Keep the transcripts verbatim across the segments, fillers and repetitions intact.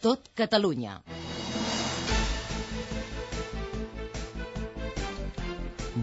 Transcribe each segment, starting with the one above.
tot Catalunya.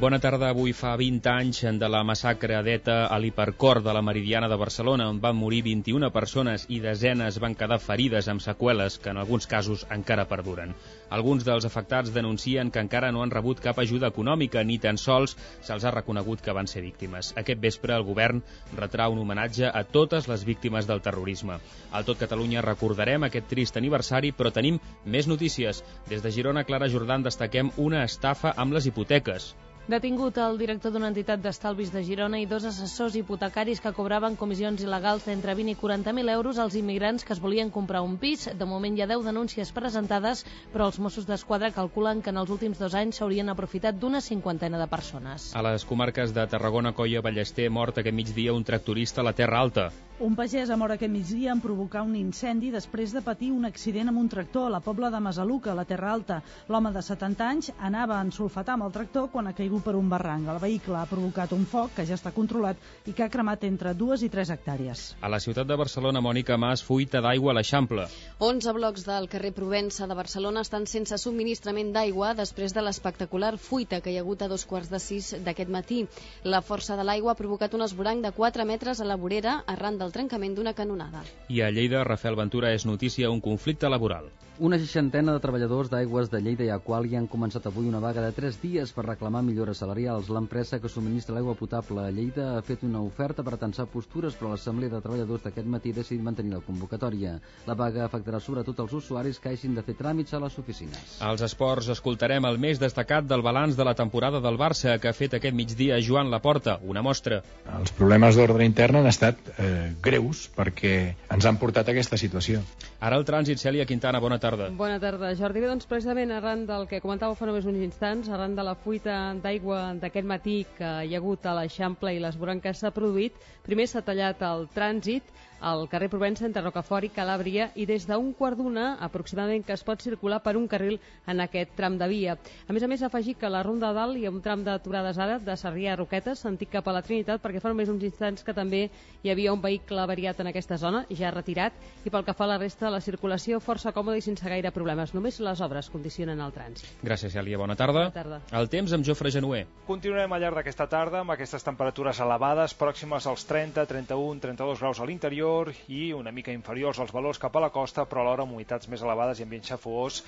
Bona tarda. Avui fa vint anys de la massacre d'ETA a l'Hipercor de la Meridiana de Barcelona, on van morir vint-i-una persones i desenes van quedar ferides amb seqüeles que en alguns casos encara perduren. Alguns dels afectats denuncien que encara no han rebut cap ajuda econòmica ni tan sols se'ls ha reconegut que van ser víctimes. Aquest vespre el govern retrà un homenatge a totes les víctimes del terrorisme. Al Tot Catalunya recordarem aquest trist aniversari, però tenim més notícies. Des de Girona, Clara Jordan, destaquem una estafa amb les hipoteques. Detingut el director d'una entitat d'estalvis de Girona i dos assessors hipotecaris que cobraven comissions il·legals d'entre vint i quaranta mil euros als immigrants que es volien comprar un pis. De moment hi ha deu denúncies presentades, però els Mossos d'Esquadra calculen que en els últims dos anys s'haurien aprofitat d'una cinquantena de persones. A les comarques de Tarragona, Coia, Ballester, mort aquest migdia un tractorista a la Terra Alta. Un pagès ha mort aquest migdia en provocar un incendi després de patir un accident amb un tractor a la Pobla de Masaluca, a la Terra Alta. L'home de setanta anys anava a ensolfatar amb el tractor quan ha caigut per un barranc. El vehicle ha provocat un foc que ja està controlat i que ha cremat entre dues i tres hectàrees. A la ciutat de Barcelona, Mònica Mas, fuita d'aigua a l'Eixample. onze blocs del carrer Provença de Barcelona estan sense subministrament d'aigua després de l'espectacular fuita que hi ha hagut a dos quarts de sis d'aquest matí. La força de l'aigua ha provocat un esvoranc de quatre metres a la vorera arran del trencament d'una canonada. I a Lleida, Rafael Ventura, és notícia un conflicte laboral. Una seixantena de treballadors d'Aigües de Lleida i Aquàlia han començat avui una vaga de tres dies per reclamar millores salarials. L'empresa que subministra l'aigua potable a Lleida ha fet una oferta per tensar postures, però l'assemblea de treballadors d'aquest matí ha decidit mantenir la convocatòria. La vaga afectarà sobretot els usuaris que hagin de fer tràmits a les oficines. Als esports escoltarem el més destacat del balanç de la temporada del Barça que ha fet aquest migdia Joan Laporta, una mostra. Els problemes d'ordre intern han estat eh, greus perquè ens han portat a aquesta situació. Ara el trànsit, Cèlia Quintana, bona tarda. Bona tarda, Jordi. Bé, doncs precisament arran del que comentàveu fa només uns instants, arran de la fuita d'aigua d'aquest matí que hi ha hagut a l'Eixample i l'esvoranc que s'ha produït, primer s'ha tallat el trànsit al carrer Provença entre Rocafort i Calàbria i des d'un quart d'una aproximadament que es pot circular per un carril en aquest tram de via. A més a més, afegir que a la Ronda de Dalt hi ha un tram d'aturades ara de Sarrià a Roquetes, sentit cap a la Trinitat, perquè fa només uns instants que també hi havia un vehicle avariat en aquesta zona, ja retirat, i pel que fa a la resta, la circulació força còmoda i sense gaire problemes. Només les obres condicionen el trànsit. Gràcies, Cèlia. Bona tarda. Bona tarda. El temps amb Jofre Genuer. Continuem al llarg d'aquesta tarda amb aquestes temperatures elevades, pròximes als trenta, trenta-un, trenta-dos graus a l'interior i una mica inferiors als valors cap a la costa, però alhora amb humitats més elevades i ambient xafogós,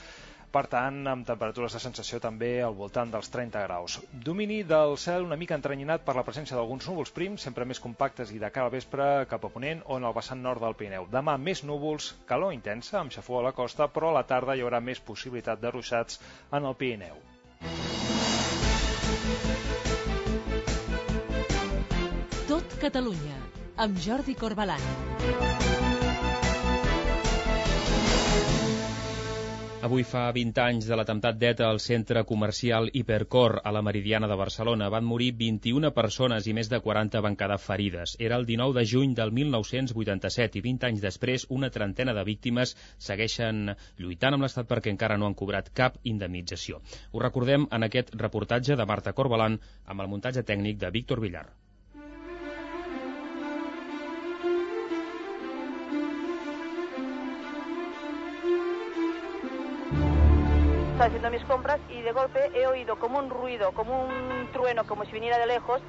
per tant, amb temperatures de sensació també al voltant dels trenta graus. Domini del cel una mica entrenyinat per la presència d'alguns núvols prims, sempre més compactes i de cara al vespre cap a ponent o en el vessant nord del Pirineu. Demà més núvols, calor intensa, amb xafogó a la costa, però a la tarda hi haurà més possibilitat de ruixats en el Pirineu. Tot Catalunya, amb Jordi Corbalan. Avui fa vint anys de l'atemptat d'ETA al centre comercial Hipercor a la Meridiana de Barcelona. Van morir vint-i-una persones i més de quaranta van quedar ferides. Era el dinou de juny del mil nou-cents vuitanta-set i vint anys després una trentena de víctimes segueixen lluitant amb l'Estat perquè encara no han cobrat cap indemnització. Ho recordem en aquest reportatge de Marta Corbalan amb el muntatge tècnic de Víctor Villar. Estaba haciendo mis compras y de golpe he oído como un ruido, como un trueno, como si viniera de lejos,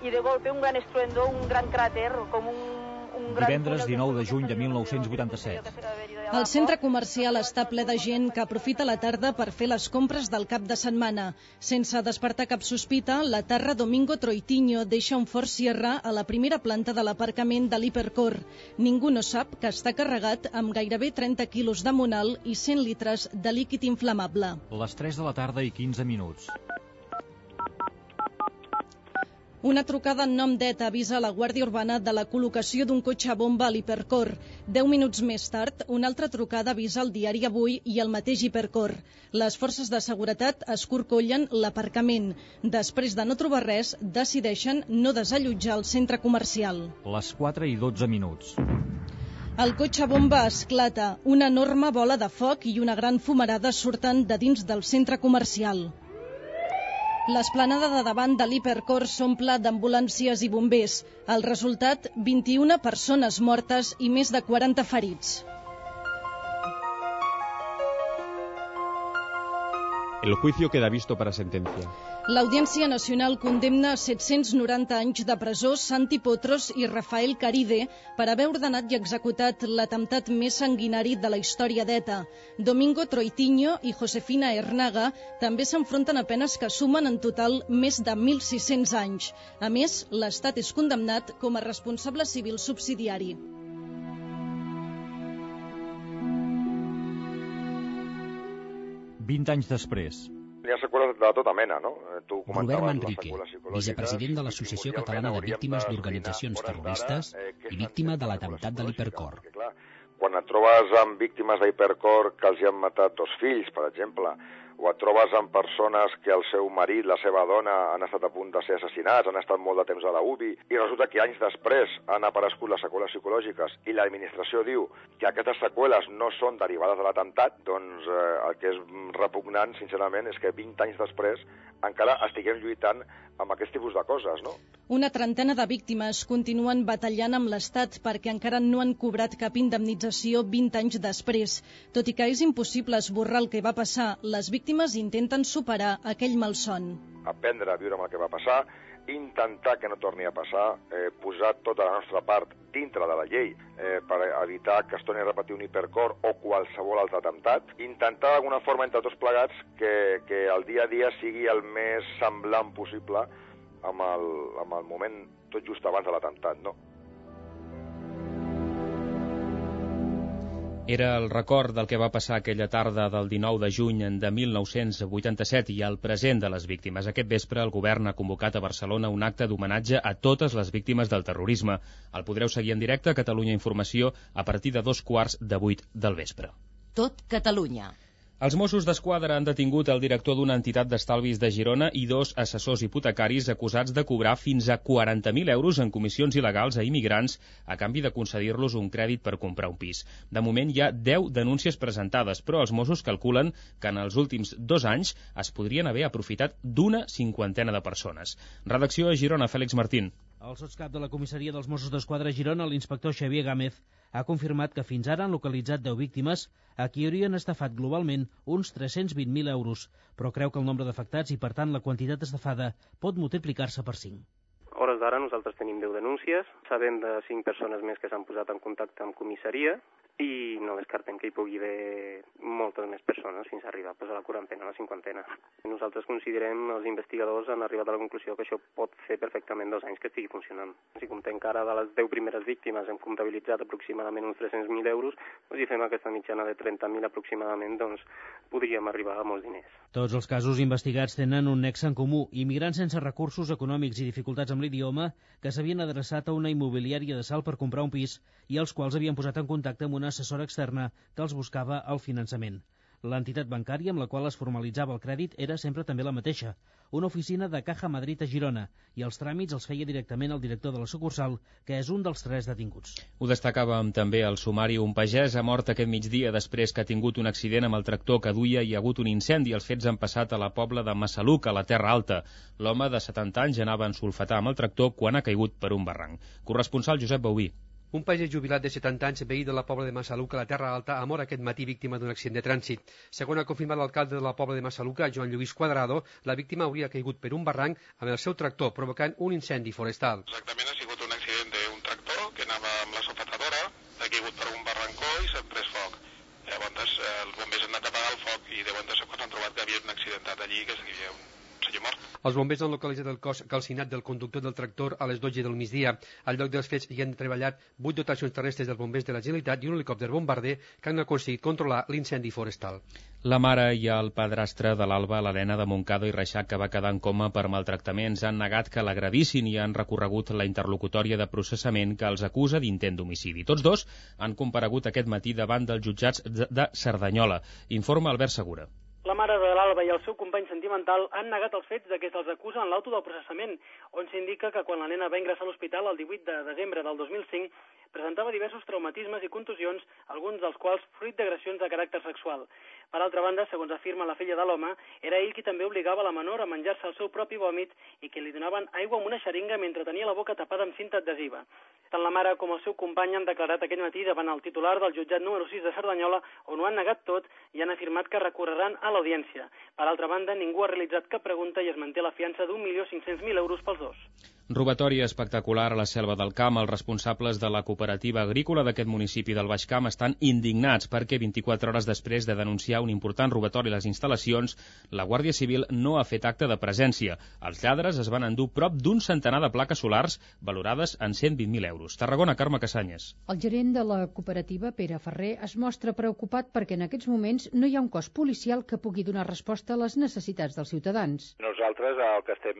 y de golpe un gran estruendo, un gran cráter, como un... Divendres dinou de juny de mil nou-cents vuitanta-set. El centre comercial està ple de gent que aprofita la tarda per fer les compres del cap de setmana. Sense despertar cap sospita, la Terra Domingo Troitiño deixa un Ford Sierra a la primera planta de l'aparcament de l'Hipercor. Ningú no sap que està carregat amb gairebé trenta quilos de monal i cent litres de líquid inflamable. Les tres de la tarda i quinze minuts. Una trucada en nom d'ETA avisa la Guàrdia Urbana de la col·locació d'un cotxe bomba a l'Hipercor. Deu minuts més tard, una altra trucada avisa el diari Avui i el mateix Hipercor. Les forces de seguretat escorcollen l'aparcament. Després de no trobar res, decideixen no desallotjar el centre comercial. Les quatre i dotze minuts. El cotxe bomba esclata. Una enorme bola de foc i una gran fumarada surten de dins del centre comercial. L'esplanada de davant de l'Hipercor s'omple d'ambulàncies i bombers. El resultat, vint-i-una persones mortes i més de quaranta ferits. El juicio queda visto para sentencia. L'Audiència Nacional condemna a set-cents noranta anys de presó Santi Potros i Rafael Caride per haver ordenat i executat l'atemptat més sanguinari de la història d'ETA. Domingo Troitiño i Josefina Hernaga també s'enfronten a penes que sumen en total més de mil sis-cents anys. A més, l'Estat és condemnat com a responsable civil subsidiari. vint anys després. Hi ha seqüeles de tota mena, no? Tu Robert Manrique, vicepresident de l'Associació Catalana de Víctimes d'Organitzacions Terroristes i víctima de l'atemptat de l'Hipercor. Quan et trobes amb víctimes d'Hipercor que els hi han matat dos fills, per exemple, o et trobes amb persones que el seu marit, la seva dona, han estat a punt de ser assassinats, han estat molt de temps a la U B I, i resulta que anys després han aparegut les seqüeles psicològiques i l'administració diu que aquestes seqüeles no són derivades de l'atemptat, doncs eh, el que és repugnant, sincerament, és que vint anys després encara estiguem lluitant amb aquest tipus de coses, no? Una trentena de víctimes continuen batallant amb l'Estat perquè encara no han cobrat cap indemnització vint anys després. Tot i que és impossible esborrar el que va passar, les víctimes intenten superar aquell malson. Aprendre a viure amb el que va passar, intentar que no torni a passar, eh, posar tota la nostra part dintre de la llei eh, per evitar que es torni a repetir un hipercor o qualsevol altre atemptat, intentar d'alguna forma entre tots plegats que, que el dia a dia sigui el més semblant possible amb el, amb el moment tot just abans de l'atemptat, no? Era el record del que va passar aquella tarda del dinou de juny de mil nou-cents vuitanta-set i el present de les víctimes. Aquest vespre el govern ha convocat a Barcelona un acte d'homenatge a totes les víctimes del terrorisme. El podreu seguir en directe a Catalunya Informació a partir de dos quarts de vuit del vespre. Tot Catalunya. Els Mossos d'Esquadra han detingut el director d'una entitat d'estalvis de Girona i dos assessors hipotecaris acusats de cobrar fins a quaranta mil euros en comissions il·legals a immigrants a canvi de concedir-los un crèdit per comprar un pis. De moment hi ha deu denúncies presentades, però els Mossos calculen que en els últims dos anys es podrien haver aprofitat d'una cinquantena de persones. Redacció a Girona, Fèlix Martín. El sotscap de la comissaria dels Mossos d'Esquadra a Girona, l'inspector Xavier Gámez, ha confirmat que fins ara han localitzat deu víctimes a qui haurien estafat globalment uns tres-cents vint mil euros, però creu que el nombre d'afectats i, per tant, la quantitat estafada pot multiplicar-se per cinc. A hores d'ara nosaltres tenim deu denúncies, sabem de cinc persones més que s'han posat en contacte amb comissaria i no descartem que hi pugui haver moltes més persones fins a arribar pues, a la quarantena, a la cinquantena. Nosaltres considerem, els investigadors han arribat a la conclusió que això pot fer perfectament dos anys que estigui funcionant. Si comptem que ara de les deu primeres víctimes hem comptabilitzat aproximadament uns tres-cents mil euros, doncs, si fem aquesta mitjana de trenta mil aproximadament, doncs podríem arribar a molts diners. Tots els casos investigats tenen un nexe en comú, immigrants sense recursos econòmics i dificultats amb l'idioma que s'havien adreçat a una immobiliària de Salt per comprar un pis i els quals havien posat en contacte amb una assessora externa que els buscava el finançament. L'entitat bancària amb la qual es formalitzava el crèdit era sempre també la mateixa, una oficina de Caja Madrid a Girona, i els tràmits els feia directament el director de la sucursal, que és un dels tres detinguts. Ho destacàvem també al sumari. Un pagès ha mort aquest migdia després que ha tingut un accident amb el tractor que duia i hi ha hagut un incendi. Els fets han passat a la pobla de Massaluc, a la Terra Alta. L'home de setanta anys anava a ensulfatar amb el tractor quan ha caigut per un barranc. Corresponsal Josep Bauví. Un pagès jubilat de setanta anys, veí de la pobla de Massaluca, a la Terra Alta, ha mort aquest matí víctima d'un accident de trànsit. Segons ha confirmat l'alcalde de la pobla de Massaluca, Joan Lluís Cuadrado, la víctima hauria caigut per un barranc amb el seu tractor, provocant un incendi forestal. Exactament, ha sigut un accident d'un tractor que anava amb la sofatadora, ha caigut per un barrancó i s'ha pres foc. Llavors, els bombers han anat a apagar el foc i de bon de sobte han trobat que havia un accidentat allí, que hi havia un senyor mort. Els bombers han localitzat el cos calcinat del conductor del tractor a les dotze del migdia. Al lloc dels fets hi han treballat vuit dotacions terrestres dels bombers de la Generalitat i un helicòpter bombarder que han aconseguit controlar l'incendi forestal. La mare i el padrastre de l'Alba, l'Helena de Montcada i Reixac, que va quedar en coma per maltractaments, han negat que l'agredissin i han recorregut la interlocutòria de processament que els acusa d'intent d'homicidi. Tots dos han comparegut aquest matí davant dels jutjats de Cerdanyola. Informa Albert Segura. La mare de l'Alba i el seu company sentimental han negat els fets de què se'ls acusa en l'auto del processament, on s'indica que quan la nena va ingressar a l'hospital el divuit de desembre del dos mil cinc presentava diversos traumatismes i contusions, alguns dels quals fruit d'agressions de caràcter sexual. Per altra banda, segons afirma la filla de l'home, era ell qui també obligava la menor a menjar-se el seu propi vòmit i que li donaven aigua amb una xeringa mentre tenia la boca tapada amb cinta adhesiva. Tant la mare com el seu company han declarat aquell matí davant el titular del jutjat número sis de Cerdanyola, on ho han negat tot i han afirmat que recorreran a l'audiència. d'urgència. Per altra banda, ningú ha realitzat cap pregunta i es manté la fiança d'un milió cinc-cents mil euros pels dos. Robatori espectacular a la Selva del Camp. Els responsables de la cooperativa agrícola d'aquest municipi del Baix Camp estan indignats perquè vint-i-quatre hores després de denunciar un important robatori a les instal·lacions, la Guàrdia Civil no ha fet acte de presència. Els lladres es van endur prop d'un centenar de plaques solars valorades en cent vint mil euros. Tarragona, Carme Cassanyes. El gerent de la cooperativa, Pere Ferrer, es mostra preocupat perquè en aquests moments no hi ha un cos policial que pugui donar resposta a les necessitats dels ciutadans. Nosaltres el que estem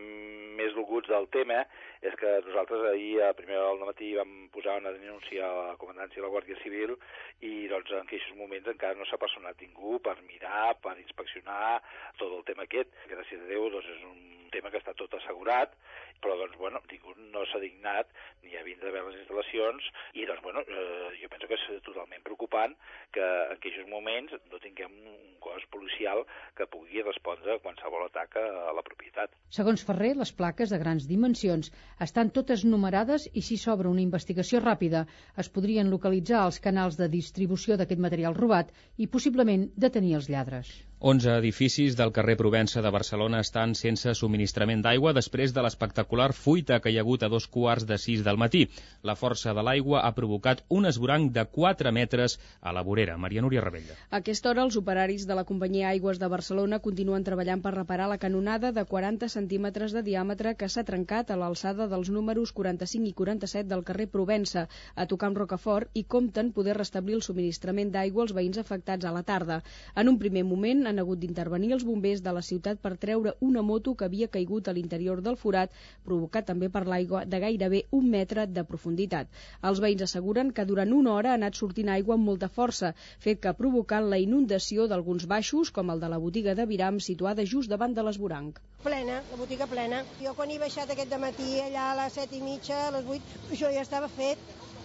més dolguts del tema és que nosaltres ahir a primer del matí vam posar una denúncia a la comandància de la Guàrdia Civil i doncs en aquests moments encara no s'ha personat ningú per mirar, per inspeccionar tot el tema aquest. Gràcies a Déu doncs és un tema que està tot assegurat, però doncs bueno, ningú no s'ha dignat ni a vindre a veure les instal·lacions i doncs bueno, eh, jo penso que és totalment preocupant que en aquests moments no tinguem un cos policial que pugui respondre a qualsevol atac a la propietat. Segons Ferrer, les plaques de grans dimensions estan totes numerades i si s'obre una investigació ràpida es podrien localitzar els canals de distribució d'aquest material robat i possiblement detenir els lladres. onze edificis del carrer Provença de Barcelona estan sense subministrament d'aigua després de l'espectacular fuita que hi ha hagut a dos quarts de sis del matí. La força de l'aigua ha provocat un esvoranc de quatre metres a la vorera. Maria Núria Rebella. A aquesta hora, els operaris de la companyia Aigües de Barcelona continuen treballant per reparar la canonada de quaranta centímetres de diàmetre que s'ha trencat a l'alçada dels números quaranta-cinc i quaranta-set del carrer Provença, a tocar amb Rocafort, i compten poder restablir el subministrament d'aigua als veïns afectats a la tarda. En un primer moment, han hagut d'intervenir els bombers de la ciutat per treure una moto que havia caigut a l'interior del forat, provocat també per l'aigua de gairebé un metre de profunditat. Els veïns asseguren que durant una hora ha anat sortint aigua amb molta força, fet que ha provocat la inundació d'alguns baixos, com el de la botiga de Viram, situada just davant de l'esvoranc. Plena, la botiga plena. Jo quan he baixat aquest dematí, allà a les set i mitja, a les vuit, això ja estava fet.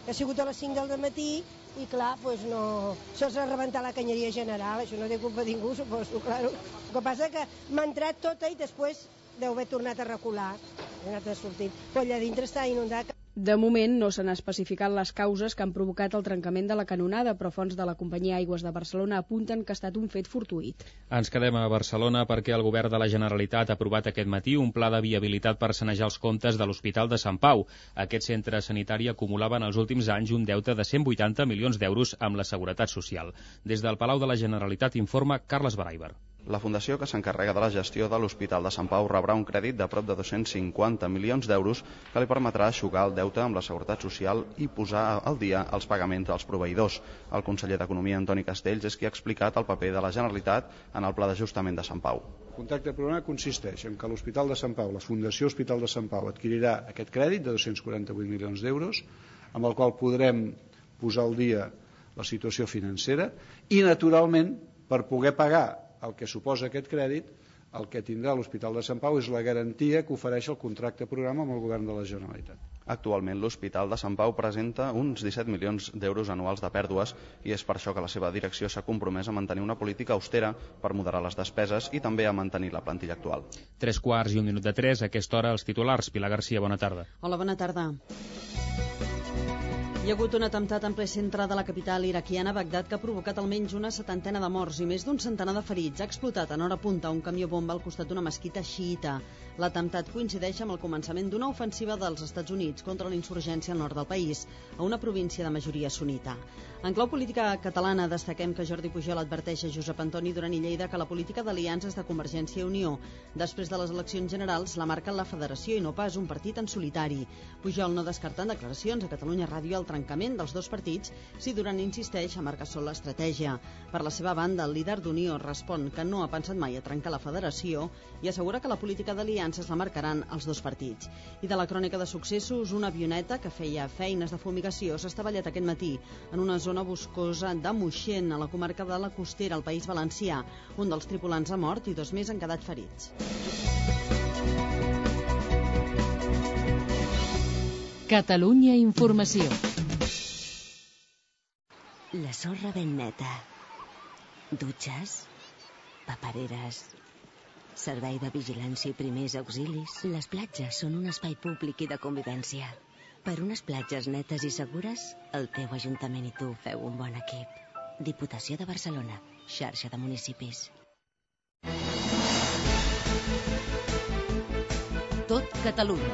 Ha sigut a les cinc del dematí i clar, doncs no... Això s'ha rebentat la canyeria general, això no té culpa de ningú, suposo, claro. El que passa que m'ha entrat tota i després deu haver tornat a recular, ha anat a sortir. Però allà dintre està inundat. De moment no s'han especificat les causes que han provocat el trencament de la canonada, però fonts de la companyia Aigües de Barcelona apunten que ha estat un fet fortuït. Ens quedem a Barcelona perquè el govern de la Generalitat ha aprovat aquest matí un pla de viabilitat per sanejar els comptes de l'Hospital de Sant Pau. Aquest centre sanitari acumulava en els últims anys un deute de cent vuitanta milions d'euros amb la Seguretat Social. Des del Palau de la Generalitat informa Carles Baraiber. La fundació que s'encarrega de la gestió de l'Hospital de Sant Pau rebrà un crèdit de prop de dos-cents cinquanta milions d'euros que li permetrà eixugar el deute amb la Seguretat Social i posar al dia els pagaments dels proveïdors. El conseller d'Economia, Antoni Castells, és qui ha explicat el paper de la Generalitat en el pla d'ajustament de Sant Pau. El contracte programa consisteix en que l'Hospital de Sant Pau, la Fundació Hospital de Sant Pau, adquirirà aquest crèdit de dos-cents quaranta-vuit milions d'euros, amb el qual podrem posar al dia la situació financera i, naturalment, per poder pagar el que suposa aquest crèdit, el que tindrà l'Hospital de Sant Pau és la garantia que ofereix el contracte programa amb el govern de la Generalitat. Actualment l'Hospital de Sant Pau presenta uns disset milions d'euros anuals de pèrdues i és per això que la seva direcció s'ha compromès a mantenir una política austera per moderar les despeses i també a mantenir la plantilla actual. Tres quarts i un minut de tres, a aquesta hora els titulars. Pilar Garcia, bona tarda. Hola, bona tarda. Hi ha hagut un atemptat en ple centre de la capital iraquiana, Bagdad, que ha provocat almenys una setantena de morts i més d'un centenar de ferits. Ha explotat en hora punta un camió bomba al costat d'una mesquita xiita. L'atemptat coincideix amb el començament d'una ofensiva dels Estats Units contra la insurgència al nord del país, a una província de majoria sunita. En clau política catalana, destaquem que Jordi Pujol adverteix a Josep Antoni Duran i Lleida que la política d'aliances de Convergència i Unió després de les eleccions generals la marca la federació i no pas un partit en solitari. Pujol no descarta en declaracions a Catalunya Ràdio el trencament dels dos partits si Duran insisteix a marcar sol l'estratègia. Per la seva banda, el líder d'Unió respon que no ha pensat mai a trencar la federació i assegura que la política d'aliances la marcaran els dos partits. I de la crònica de successos, una avioneta que feia feines de fumigació s'ha estavellat aquest matí en una zona boscosa de Moixent, a la comarca de la Costera, al País Valencià. Un dels tripulants ha mort i dos més han quedat ferits. Catalunya Informació. La sorra ben neta. Dutxes, papereres, servei de vigilància i primers auxilis. Les platges són un espai públic i de convivència. Per unes platges netes i segures, el teu Ajuntament i tu feu un bon equip. Diputació de Barcelona, xarxa de municipis. Catalunya.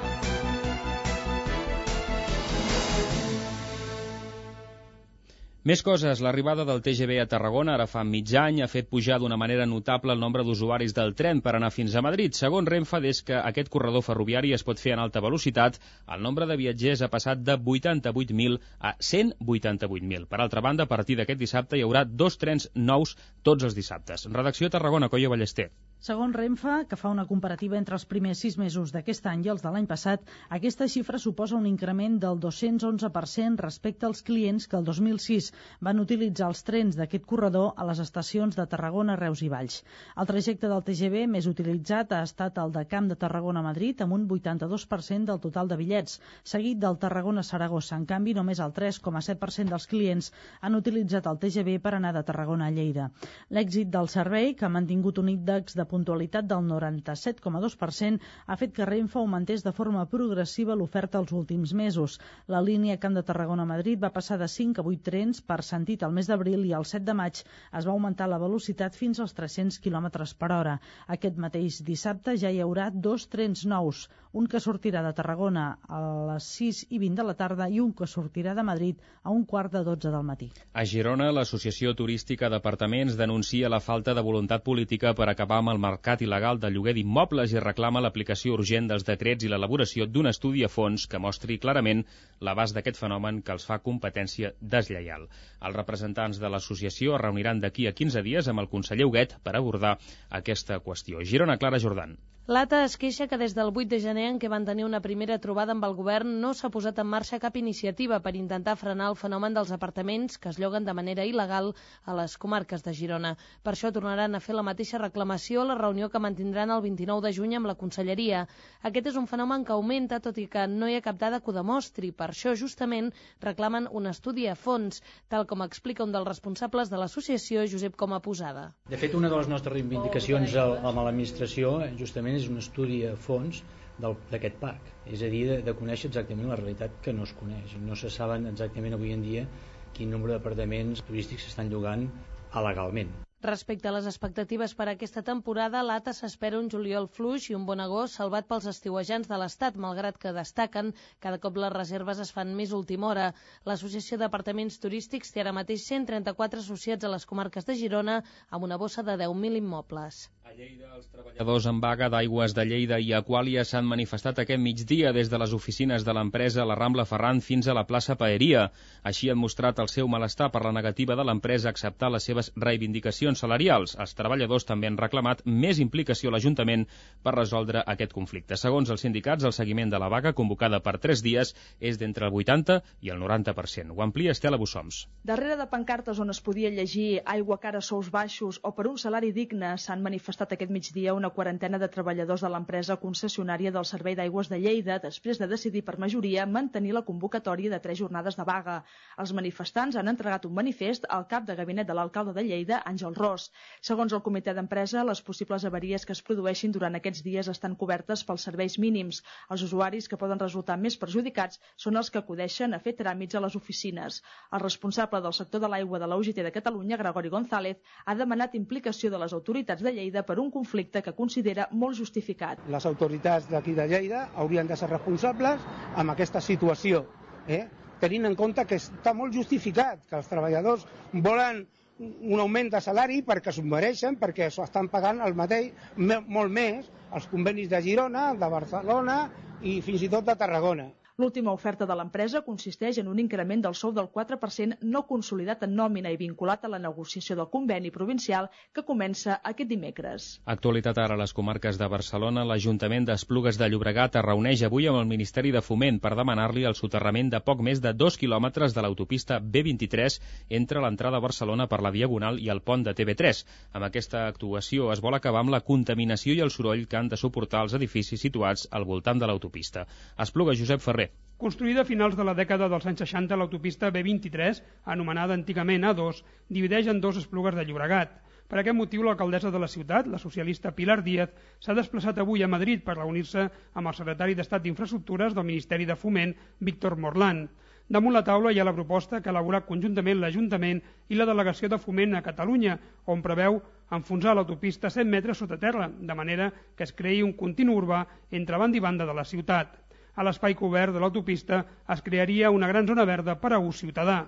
Més coses. L'arribada del T G V a Tarragona ara fa mig any ha fet pujar d'una manera notable el nombre d'usuaris del tren per anar fins a Madrid. Segons Renfe, des que aquest corredor ferroviari es pot fer en alta velocitat, el nombre de viatgers ha passat de vuitanta-vuit mil a cent vuitanta-vuit mil. Per altra banda, a partir d'aquest dissabte hi haurà dos trens nous tots els dissabtes. Redacció a Tarragona, Coia Ballester. Segons Renfe, que fa una comparativa entre els primers sis mesos d'aquest any i els de l'any passat, aquesta xifra suposa un increment del dos-cents onze per cent respecte als clients que el dos mil sis van utilitzar els trens d'aquest corredor a les estacions de Tarragona, Reus i Valls. El trajecte del T G V més utilitzat ha estat el de Camp de Tarragona a Madrid, amb un vuitanta-dos per cent del total de bitllets, seguit del Tarragona-Saragossa. En canvi, només el tres coma set per cent dels clients han utilitzat el T G V per anar de Tarragona a Lleida. L'èxit del servei, que ha mantingut un índex de puntualitat del noranta-set coma dos per cent, ha fet que Renfe augmentés de forma progressiva l'oferta els últims mesos. La línia Camp de Tarragona-Madrid va passar de cinc a vuit trens per sentit al mes d'abril i el set de maig es va augmentar la velocitat fins als tres-cents quilòmetres per hora. Aquest mateix dissabte ja hi haurà dos trens nous, un que sortirà de Tarragona a les sis i vint de la tarda i un que sortirà de Madrid a un quart de dotze del matí. A Girona, l'Associació Turística d'Apartaments denuncia la falta de voluntat política per acabar amb el mercat il·legal de lloguer d'immobles i reclama l'aplicació urgent dels decrets i l'elaboració d'un estudi a fons que mostri clarament l'abast d'aquest fenomen que els fa competència deslleial. Els representants de l'associació es reuniran d'aquí a quinze dies amb el conseller Huguet per abordar aquesta qüestió. Girona, Clara Jordan. L'A T A es queixa que des del vuit de gener, en què van tenir una primera trobada amb el govern, no s'ha posat en marxa cap iniciativa per intentar frenar el fenomen dels apartaments que es lloguen de manera il·legal a les comarques de Girona. Per això tornaran a fer la mateixa reclamació a la reunió que mantindran el vint-i-nou de juny amb la Conselleria. Aquest és un fenomen que augmenta, tot i que no hi ha cap dada que ho demostri. Per això, justament, reclamen un estudi a fons, tal com explica un dels responsables de l'associació, Josep Coma Posada. De fet, una de les nostres reivindicacions amb l'administració, justament, és un estudi a fons d'aquest parc, és a dir, de, de conèixer exactament la realitat que no es coneix. No se saben exactament avui en dia quin nombre d'apartaments turístics s'estan llogant alegalment. Respecte a les expectatives per a aquesta temporada, l'A T A s'espera un juliol fluix i un bon agost salvat pels estiuejants de l'Estat, malgrat que destaquen cada cop les reserves es fan més última hora. L'Associació d'Apartaments Turístics té ara mateix cent trenta-quatre associats a les comarques de Girona amb una bossa de deu mil immobles. A Lleida, els treballadors en vaga d'Aigües de Lleida i Aquàlia s'han manifestat aquest migdia des de les oficines de l'empresa a la Rambla Ferran fins a la plaça Paeria. Així han mostrat el seu malestar per la negativa de l'empresa a acceptar les seves reivindicacions salarials. Els treballadors també han reclamat més implicació a l'Ajuntament per resoldre aquest conflicte. Segons els sindicats, el seguiment de la vaga, convocada per tres dies, és d'entre el vuitanta i el noranta per cent. Ho amplia Estela Bussoms. Darrere de pancartes on es podia llegir aigua cara, sous baixos o per un salari digne s'han manifestat aquest migdia una quarantena de treballadors de l'empresa concessionària del Servei d'Aigües de Lleida després de decidir per majoria mantenir la convocatòria de tres jornades de vaga. Els manifestants han entregat un manifest al cap de gabinet de l'alcalde de Lleida, Àngel Ros. Segons el comitè d'empresa, les possibles avaries que es produeixin durant aquests dies estan cobertes pels serveis mínims. Els usuaris que poden resultar més perjudicats són els que acudeixen a fer tràmits a les oficines. El responsable del sector de l'aigua de la U G T de Catalunya, Gregori González, ha demanat implicació de les autoritats de Lleida per un conflicte que considera molt justificat. Les autoritats d'aquí de Lleida haurien de ser responsables amb aquesta situació, eh? tenint en compte que està molt justificat, que els treballadors volen un augment de salari perquè s'ho mereixen, perquè s'ho estan pagant el mateix, molt més, els convenis de Girona, de Barcelona i fins i tot de Tarragona. L'última oferta de l'empresa consisteix en un increment del sou del quatre per cent no consolidat en nòmina i vinculat a la negociació del conveni provincial que comença aquest dimecres. Actualitat ara a les comarques de Barcelona. L'Ajuntament d'Esplugues de Llobregat es reuneix avui amb el Ministeri de Foment per demanar-li el soterrament de poc més de dos quilòmetres de l'autopista B vint-i-tres entre l'entrada a Barcelona per la Diagonal i el pont de T V tres. Amb aquesta actuació es vol acabar amb la contaminació i el soroll que han de suportar els edificis situats al voltant de l'autopista. Espluga, Josep Ferrer. Construïda a finals de la dècada dels anys seixanta, l'autopista B vint-i-tres, anomenada antigament A dos, divideix en dos Esplugues de Llobregat. Per aquest motiu, l'alcaldessa de la ciutat, la socialista Pilar Díaz, s'ha desplaçat avui a Madrid per reunir-se amb el secretari d'Estat d'Infraestructures del Ministeri de Foment, Víctor Morlán. Damunt la taula hi ha la proposta que ha elaborat conjuntament l'Ajuntament i la Delegació de Foment a Catalunya, on preveu enfonsar l'autopista cent metres sota terra, de manera que es creï un continu urbà entre banda i banda de la ciutat. A l'espai cobert de l'autopista es crearia una gran zona verda per a ús ciutadà.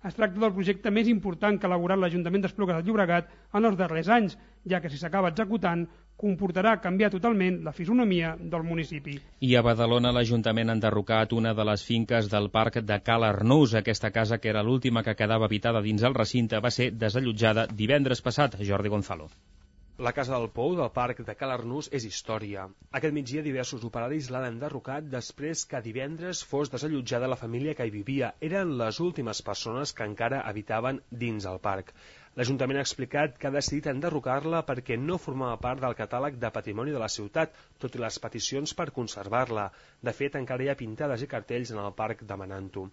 Es tracta del projecte més important que ha elaborat l'Ajuntament d'Esplugues de Llobregat en els darrers anys, ja que si s'acaba executant comportarà canviar totalment la fisonomia del municipi. I a Badalona l'Ajuntament ha enderrocat una de les finques del parc de Cal Arnús. Aquesta casa, que era l'última que quedava habitada dins el recinte, va ser desallotjada divendres passat. Jordi Gonzalo. La Casa del Pou del Parc de Cal Arnús és història. Aquest migdia diversos operaris l'han enderrocat després que divendres fos desallotjada la família que hi vivia. Eren les últimes persones que encara habitaven dins el parc. L'Ajuntament ha explicat que ha decidit enderrocar-la perquè no formava part del catàleg de patrimoni de la ciutat, tot i les peticions per conservar-la. De fet, encara hi ha pintades i cartells en el parc demanant-ho.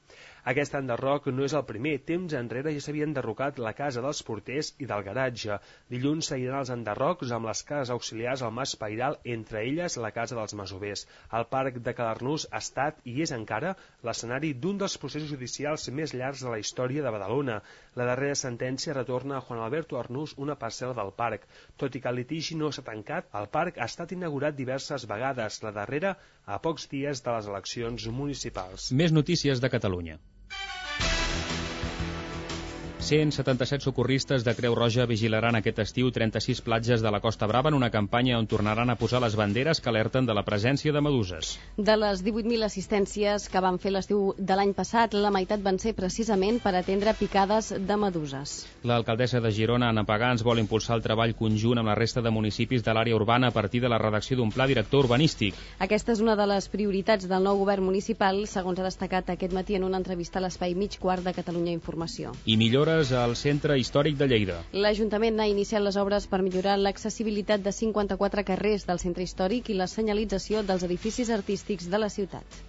Aquest enderroc no és el primer. Temps enrere ja s'havia enderrocat la casa dels porters i del garatge. Dilluns seguiran els enderrocs amb les cases auxiliars al Mas Pairal, entre elles la casa dels masovers. El parc de Cal Arnús ha estat i és encara l'escenari d'un dels processos judicials més llargs de la història de Badalona. La darrera sentència retorna a Juan Alberto Arnús una parcel·la del parc. Tot i que el litigi no s'ha tancat, el parc ha estat inaugurat diverses vegades, la darrera a pocs dies de les eleccions municipals. Més notícies de Catalunya. cent setanta-set socorristes de Creu Roja vigilaran aquest estiu trenta-sis platges de la Costa Brava en una campanya on tornaran a posar les banderes que alerten de la presència de meduses. De les divuit mil assistències que van fer l'estiu de l'any passat, la meitat van ser precisament per atendre picades de meduses. L'alcaldessa de Girona, Anna Pagans, vol impulsar el treball conjunt amb la resta de municipis de l'àrea urbana a partir de la redacció d'un pla director urbanístic. Aquesta és una de les prioritats del nou govern municipal, segons ha destacat aquest matí en una entrevista a l'espai Mig Quart de Catalunya Informació. I millores al Centre Històric de Lleida. L'Ajuntament ha iniciat les obres per millorar l'accessibilitat de cinquanta-quatre carrers del centre històric i la senyalització dels edificis artístics de la ciutat.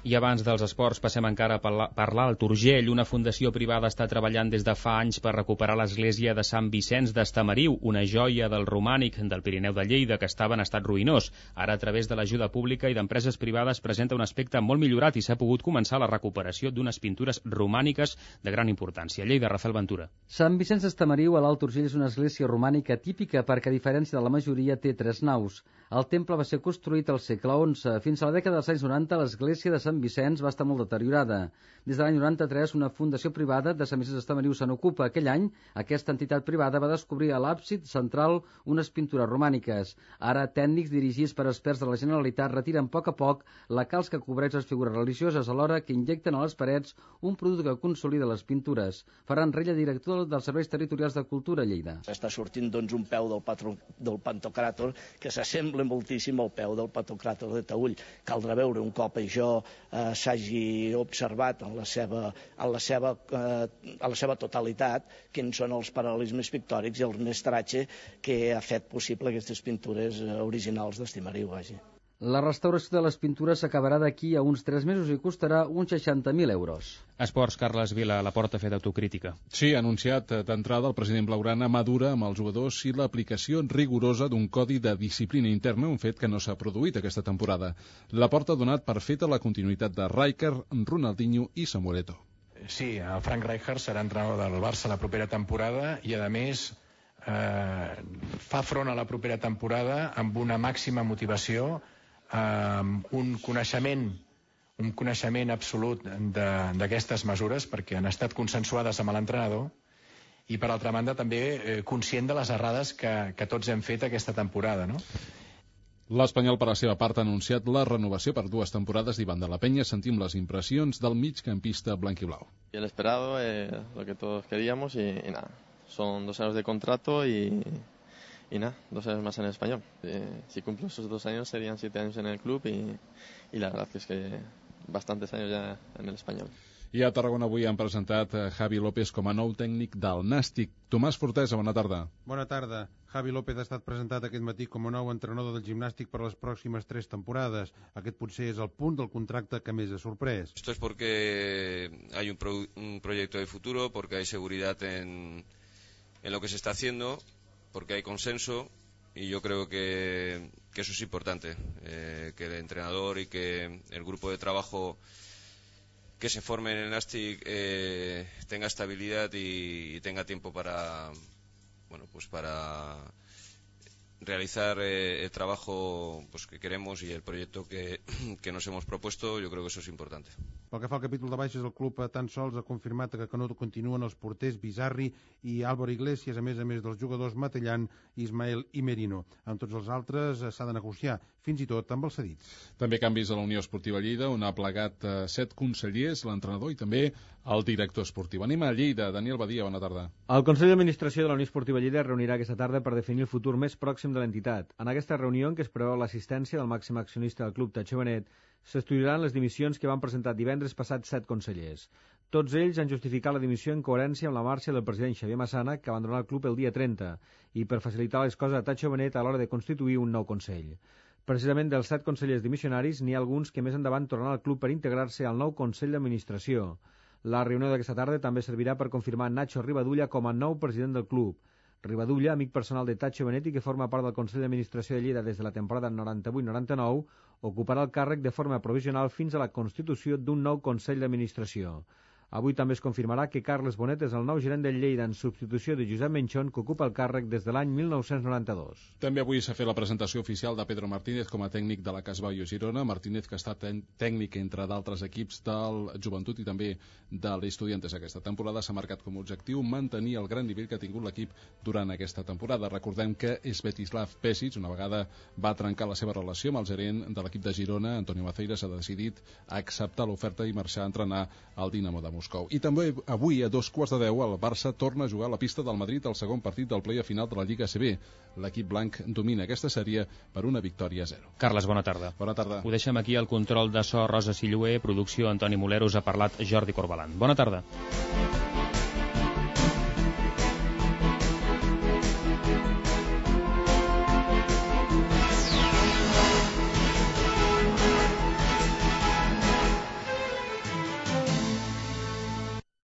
I abans dels esports passem encara a parlar al Turgell. Una fundació privada està treballant des de fa anys per recuperar l'església de Sant Vicenç d'Estamariu, una joia del romànic del Pirineu de Lleida que estava en estat ruïnós. Ara, a través de l'ajuda pública i d'empreses privades, presenta un aspecte molt millorat i s'ha pogut començar la recuperació d'unes pintures romàniques de gran importància. Lleida, Rafael Ventura. Sant Vicenç d'Estamariu, a l'Alt Urgell, és una església romànica típica perquè, a diferència de la majoria, té tres naus. El temple va ser construït al segle onze. Fins a la dècada dels anys noranta, l'església de Sant Vicenç va estar molt deteriorada. Des de l'any noranta-tres, una fundació privada de Sant Vicenç d'Estamariu se n'ocupa. Aquell any, aquesta entitat privada va descobrir a l'àbsid central unes pintures romàniques. Ara, tècnics dirigits per experts de la Generalitat retiren a poc a poc la calç que cobreix les figures religioses, alhora que injecten a les parets un producte que consolida les pintures. Ferran Rella, director dels Serveis Territorials de Cultura a Lleida. Està sortint doncs, un peu del, patro, del Pantocràtor que s'assembla moltíssim al peu del Pantocràtor de Taüll. Caldrà veure un cop això eh, s'hagi observat en la seva, en la seva, eh, en la seva totalitat quins són els paral·lelismes pictòrics i el mestratge que ha fet possible aquestes pintures eh, originals d'Estamariu. La restauració de les pintures s'acabarà d'aquí a uns tres mesos i costarà uns seixanta mil euros. Esports, Carles Vila, la Porta ha fet autocrítica. Sí, ha anunciat d'entrada el president blaugrana madura amb els jugadors i l'aplicació rigorosa d'un codi de disciplina interna, un fet que no s'ha produït aquesta temporada. La Porta ha donat per feta la continuïtat de Rijkaard, Ronaldinho i Samuel Eto'o. Sí, el Frank Rijkaard serà entrenador del Barça la propera temporada i, a més, eh, fa front a la propera temporada amb una màxima motivació, amb un coneixement un coneixement absolut d'aquestes mesures perquè han estat consensuades amb l'entrenador i, per altra banda, també eh, conscient de les errades que, que tots hem fet aquesta temporada, no? L'Espanyol, per la seva part, ha anunciat la renovació per dues temporades d'Ivan de la Peña. Sentim les impressions del migcampista blanquiblau. El esperado, eh, lo que todos queríamos y, y nada, son dos años de contrato y... Y nada, dos años más en el Español. Eh, si cumplo esos dos años serían siete años en el club y, y la verdad que es que bastantes años ya en el Español. I a Tarragona avui han presentat Javi López com a nou tècnic del Nàstic. Tomàs Fortesa, bona tarda. Bona tarda. Javi López ha estat presentat aquest matí com a nou entrenador del Gimnàstic per les pròximes tres temporades. Aquest potser és el punt del contracte que més ha sorprès. Esto es porque hay un, pro, un proyecto de futuro, porque hay seguridad en, en lo que se está haciendo, porque hay consenso y yo creo que, que eso es importante, eh, que el entrenador y que el grupo de trabajo que se forme en el Nastic eh, tenga estabilidad y, y tenga tiempo para, bueno, pues para realizar eh, el trabajo pues, que queremos y el proyecto que, que nos hemos propuesto. Yo creo que eso es importante. Pel que fa al capítol de baixes, el club tan sols ha confirmat que no continuen els porters Bizarri i Álvaro Iglesias, a més a més dels jugadors Matellan, Ismael i Merino. Amb tots els altres s'ha de negociar, fins i tot amb els cedits. També canvis a la Unió Esportiva Lleida, on ha plegat eh, set consellers, l'entrenador i també el director esportiu. Anem a Lleida. Daniel Badia, bona tarda. El Consell d'Administració de la Unió Esportiva Lleida es reunirà aquesta tarda per definir el futur més pròxim de l'entitat. En aquesta reunió, en què es preveu l'assistència del màxim accionista del club, Tatxo Benet, s'estudiaran les dimissions que van presentar divendres passat set consellers. Tots ells han justificat la dimissió en coherència amb la marxa del president Xavier Massana, que abandonarà el club el dia trenta, i per facilitar les coses a Tatxo Benet a l'hora de constituir un nou consell. Precisament dels set consellers dimissionaris, n'hi ha alguns que més endavant tornaran al club per integrar-se al nou Consell d'Administració. La reunió d'aquesta tarda també servirà per confirmar Nacho Rivadulla com a nou president del club. Rivadulla, amic personal de Tatxo Benet i que forma part del Consell d'Administració de Lleida des de la temporada noranta-vuit noranta-nou, ocuparà el càrrec de forma provisional fins a la constitució d'un nou Consell d'Administració. Avui també es confirmarà que Carles Bonet és el nou gerent del Lleida en substitució de Josep Menchón, que ocupa el càrrec des de l'any mil nou-cents noranta-dos. També avui s'ha fet la presentació oficial de Pedro Martínez com a tècnic de la Casbau Girona. Martínez, que ha estat tècnic entre d'altres equips del Joventut i també de l'Estudiantes aquesta temporada, s'ha marcat com a objectiu mantenir el gran nivell que ha tingut l'equip durant aquesta temporada. Recordem que Svetislav Pesic, una vegada va trencar la seva relació amb el gerent de l'equip de Girona, Antonio Maceiras, ha decidit acceptar l'oferta i marxar a entrenar al Dinamo de Moscou. I també avui, a dos quarts de deu, el Barça torna a jugar a la pista del Madrid el segon partit del play-off final de la Lliga A C B. L'equip blanc domina aquesta sèrie per una victòria a zero. Carles, bona tarda. Bona tarda. Ho deixem aquí, al control de so Rosa Silluer, producció Antoni Moleros, ha parlat Jordi Corbalan. Bona tarda.